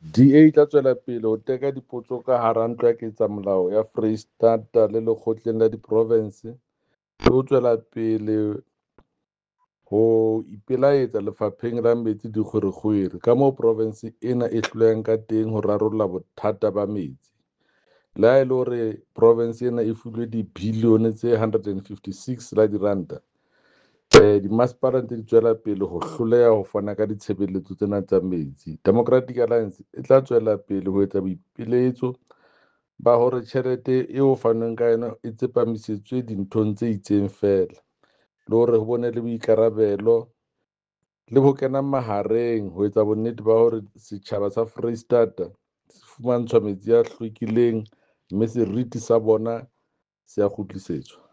DA e tla tswela pele ho teka dipotso ka hara Ntlo ya Ketsamolao ya Freistata le Lekgotleng la Diprovense, le ho tswela pele ho ipelaetsa Lefapheng la Metsi le Dikgwerekgwere kamoo provense ena e hlolehang ka teng ho rarolla bothata ba metsi, le ha e le hore provense ena e filwe dibilione tse 156 la diranta, dimasepala ntse di tswela pele ho hloleha ho fana ka ditshebeletso tsena tsa metsi. Democratic Alliance e tla tswela pele ho etsa boipiletso ba hore tjhelete eo ho fanweng ka yona e tsepamisetswe dinthong tse itseng feela, le hore ho bone le boikarabelo le ho kena mahareng ho etsa bonnete ba hore setjhaba sa Freistata se fumantshwa metsi a hlwekileng mme seriti sa bona se a kgutlisetswa.